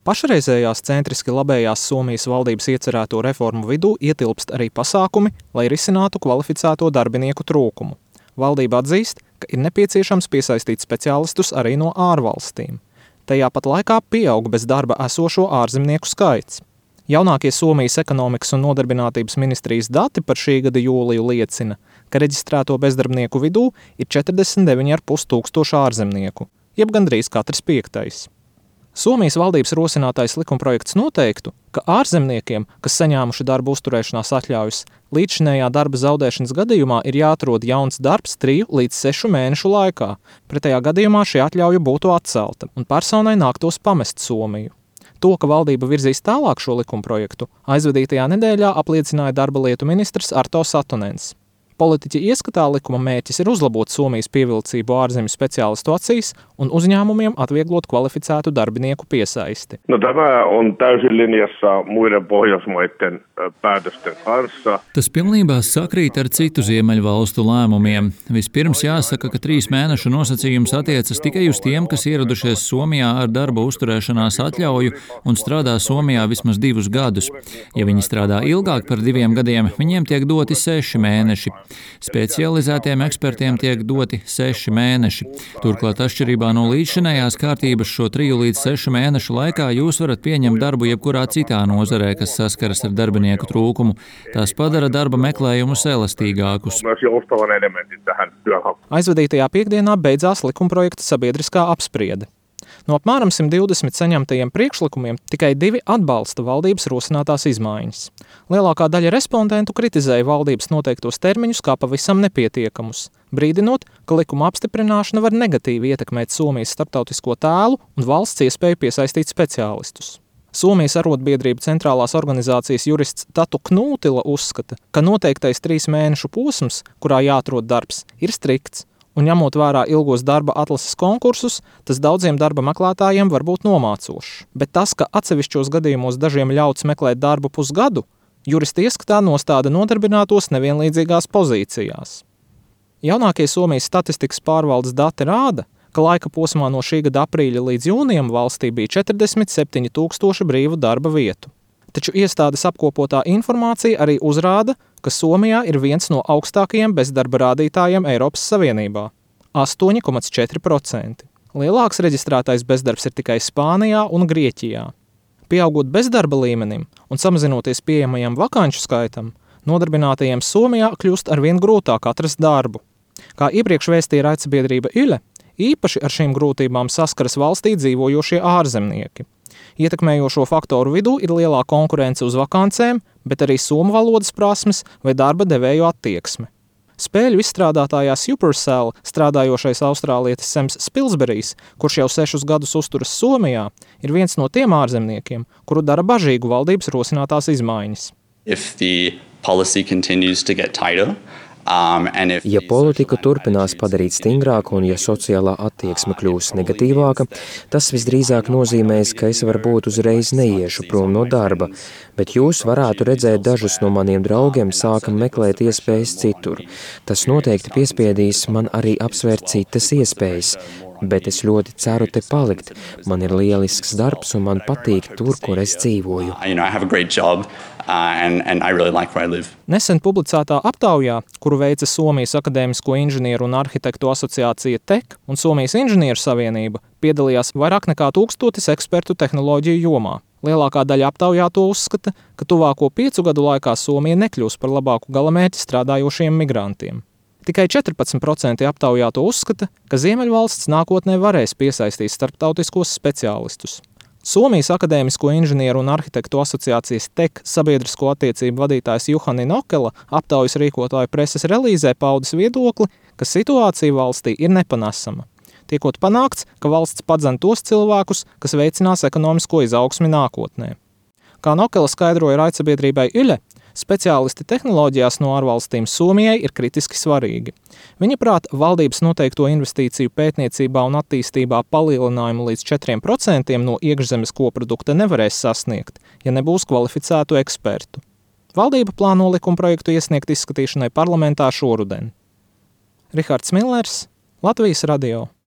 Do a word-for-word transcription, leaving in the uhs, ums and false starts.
Pašreizējās centriski labējās Somijas valdības iecerēto reformu vidū ietilpst arī pasākumi, lai risinātu kvalificēto darbinieku trūkumu. Valdība atzīst, ka ir nepieciešams piesaistīt speciālistus arī no ārvalstīm. Tajā pat laikā pieaug bez darba esošo ārzemnieku skaits. Jaunākie Somijas ekonomikas un nodarbinātības ministrijas dati par šī gada jūliju liecina, ka reģistrēto bezdarbnieku vidū ir četrdesmit deviņi ar pus tūkstoši ārzemnieku, jeb gandrīz katrs piektais. Somijas valdības rosinātais likumprojekts noteiktu, ka ārzemniekiem, kas saņēmuši darba uzturēšanās atļaujas, līdzšinējā darba zaudēšanas gadījumā ir jāatrod jauns darbs triju līdz sešu mēnešu laikā. Pretējā gadījumā šī atļauja būtu atcelta un personai nāktos pamest Somiju. To, ka valdība virzīs tālāk šo likumprojektu, aizvadītajā nedēļā apliecināja darba lietu ministrs Arto Satonens. Politiķi ieskatā likuma mērķis ir uzlabot Somijas pievilcību ārzemju speciālistu acīs un uzņēmumiem atvieglot kvalificētu darbinieku piesaisti. No tämä on täysin linjassa muiden Pohjoismaiden päätösten kanssa. Tas pilnībā sakrīt ar citu ziemeļu valstu lēmumiem. Vispirms jāsaka, ka trīs mēnešu nosacījums attiecas tikai uz tiem, kas ieradušies Somijā ar darba uzturēšanās atļauju un strādā Somijā vismaz divus gadus. Ja viņi strādā ilgāk par diviem gadiem, viņiem tiek doti seši mēneši. Specializētiem ekspertiem tiek doti seši mēneši. Turklāt atšķirībā no līdzšinējās kārtības šo triju līdz sešu mēnešu laikā jūs varat pieņemt darbu jebkurā citā nozarē, kas saskaras ar darbinieku trūkumu. Tas padara darba meklējumus elastīgākus. Aizvadītajā piekdienā beidzās likumprojekta sabiedriskā apspriede. No apmēram simt divdesmit saņemtajiem priekšlikumiem tikai divi atbalsta valdības rosinātās izmaiņas. Lielākā daļa respondentu kritizēja valdības noteiktos termiņus kā pavisam nepietiekamus, brīdinot, ka likuma apstiprināšana var negatīvi ietekmēt Somijas starptautisko tēlu un valsts iespēju piesaistīt speciālistus. Somijas arotbiedrību centrālās organizācijas jurists Tatu Knūtila uzskata, ka noteiktais trīs mēnešu posms, kurā jāatrod darbs, ir strikts. Un ņemot vērā ilgos darba atlases konkursus, tas daudziem darba meklētājiem var būt nomācošs. Bet tas, ka atsevišķos gadījumos dažiem ļauts meklēt darbu pusgadu, juristi ieskatā nostāda nodarbinātos nevienlīdzīgās pozīcijās. Jaunākie Somijas statistikas pārvaldes dati rāda, ka laika posmā no šī gada aprīļa līdz jūnijam valstī bija četrdesmit septiņi tūkstoši brīvu darba vietu. Taču iestādes apkopotā informācija arī uzrāda, ka Somijā ir viens no augstākajiem bezdarba rādītājiem Eiropas Savienībā – astoņi komats četri procenti. Lielāks reģistrētais bezdarbs ir tikai Spānijā un Grieķijā. Pieaugot bezdarba līmenim un samazinoties pieejamajam vakanču skaitam, nodarbinātajiem Somijā kļūst arvien grūtāk atrast darbu. Kā iepriekš vēstīja raidsabiedrība Yle, īpaši ar šīm grūtībām saskaras valstī dzīvojošie ārzemnieki. Ietekmējošo faktoru vidū ir lielā konkurence uz vakancēm, bet arī somu valodas prasmes vai darba devēju attieksme. Spēļu izstrādātājā Supercell strādājošais austrālietis Sems Spilsberijs, kurš jau sešus gadus uzturas Somijā, ir viens no tiem ārzemniekiem, kuru dara bažīgu valdības rosinātās izmaiņas. If the policy continues to get tighter, Um, if... Ja politika turpinās padarīt stingrāku un ja sociālā attieksme kļūs negatīvāka, tas visdrīzāk nozīmēs, ka es varbūt uzreiz neiešu prom no darba, bet jūs varētu redzēt dažus no maniem draugiem sākam meklēt iespējas citur. Tas noteikti piespiedīs man arī apsvērt citas iespējas, bet es ļoti ceru te palikt. Man ir lielisks darbs un man patīk tur, kur es dzīvoju. You know, I have a great job. Uh, and, and I really like where I live. Nesen publicētā aptaujā, kuru veica Somijas Akadēmisko inženieru un arhitektu asociācija T E K un Somijas inženieru savienība, piedalījās vairāk nekā tūkstotis ekspertu tehnoloģiju jomā. Lielākā daļa aptaujā to uzskata, ka tuvāko piecu gadu laikā Somija nekļūs par labāku galamērķi strādājošiem migrantiem. Tikai četrpadsmit procenti aptaujā to uzskata, ka Ziemeļvalsts nākotnē varēs piesaistīt starptautiskos speciālistus. Somijas Akadēmisko inženieru un arhitektu asociācijas T E K sabiedrisko attiecību vadītājs Juhani Nokela aptaujas rīkotāju preses relīzē paudis viedokli, ka situācija valstī ir nepanesama. Tiekot panākts, ka valsts padzen tos cilvēkus, kas veicinās ekonomisko izaugsmi nākotnē. Kā Nokela skaidroja raidsabiedrībai Yle, speciālisti tehnoloģijās no ārvalstīm Somijai ir kritiski svarīgi. Viņa prāt, valdības noteikto investīciju pētniecībā un attīstībā palielinājumu līdz četriem procentiem no iekšzemes koprodukta nevarēs sasniegt, ja nebūs kvalificētu ekspertu. Valdība plāno likumprojektu iesniegt izskatīšanai parlamentā šoruden. Rihards Millers, Latvijas radio.